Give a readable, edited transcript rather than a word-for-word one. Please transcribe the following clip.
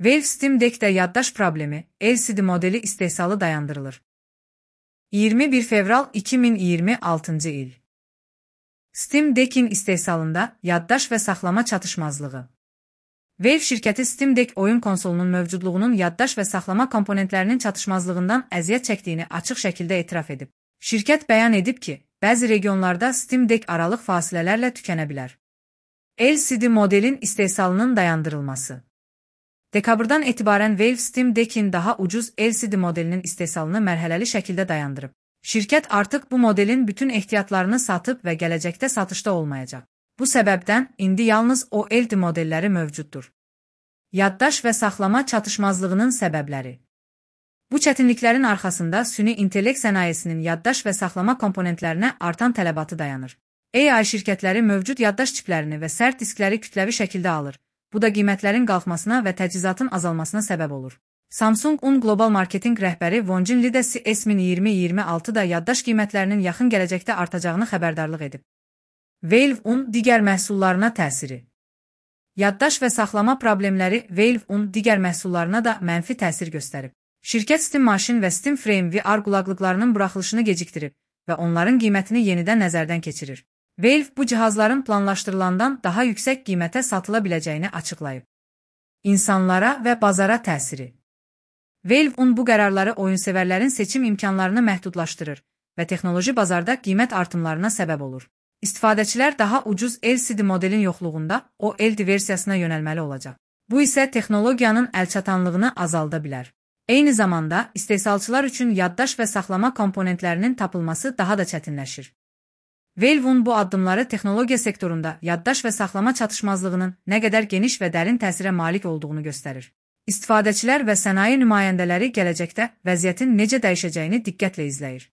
Valve Steam Deck'də yaddaş problemi, LCD modeli istehsalı dayandırılır. 21 fevral 2026 il. Steam Deck'in istehsalında yaddaş və saxlama çatışmazlığı. Valve şirkəti Steam Deck oyun konsolunun mövcudluğunun yaddaş və saxlama komponentlərinin çatışmazlığından əziyyət çəkdiyini açıq şəkildə etiraf edib. Şirkət bəyan edib ki, bəzi regionlarda Steam Deck aralıq fasilələrlə tükənə bilər. LCD modelin istehsalının dayandırılması. Dekabrdan etibarən Valve Steam Deck'in daha ucuz LCD modelinin istehsalını mərhələli şəkildə dayandırıb. Şirkət artıq bu modelin bütün ehtiyatlarını satıb və gələcəkdə satışda olmayacaq. Bu səbəbdən indi yalnız OLED modelləri mövcuddur. Yaddaş və saxlama çatışmazlığının səbəbləri. Bu çətinliklərin arxasında süni intellekt sənayesinin yaddaş və saxlama komponentlərinə artan tələbatı dayanır. AI şirkətləri mövcud yaddaş çiplərini və sərt diskləri kütləvi şəkildə alır. Bu da qiymətlərin qalxmasına və təchizatın azalmasına səbəb olur. Samsung-un qlobal marketinq rəhbəri Wonjin Lee də S2026-da yaddaş qiymətlərinin yaxın gələcəkdə artacağını xəbərdarlıq edib. Valve-un digər məhsullarına təsiri. Yaddaş və saxlama problemləri Valve-un digər məhsullarına da mənfi təsir göstərib. Şirkət Steam Machine və Steam Frame VR qulaqlıqlarının buraxılışını gecikdirib və onların qiymətini yenidən nəzərdən keçirir. Valve bu cihazların planlaşdırılandan daha yüksək qiymətə satıla biləcəyini açıqlayıb. İnsanlara və bazara təsiri. Valve-un bu qərarları oyunsevərlərin seçim imkanlarını məhdudlaşdırır və texnoloji bazarda qiymət artımlarına səbəb olur. İstifadəçilər daha ucuz LCD modelin yoxluğunda OLED versiyasına yönəlməli olacaq. Bu isə texnologiyanın əlçatanlığını azalda bilər. Eyni zamanda istehsalçılar üçün yaddaş və saxlama komponentlərinin tapılması daha da çətinləşir. Valve-un bu addımları texnologiya sektorunda yaddaş və saxlama çatışmazlığının nə qədər geniş və dərin təsirə malik olduğunu göstərir. İstifadəçilər və sənaye nümayəndələri gələcəkdə vəziyyətin necə dəyişəcəyini diqqətlə izləyir.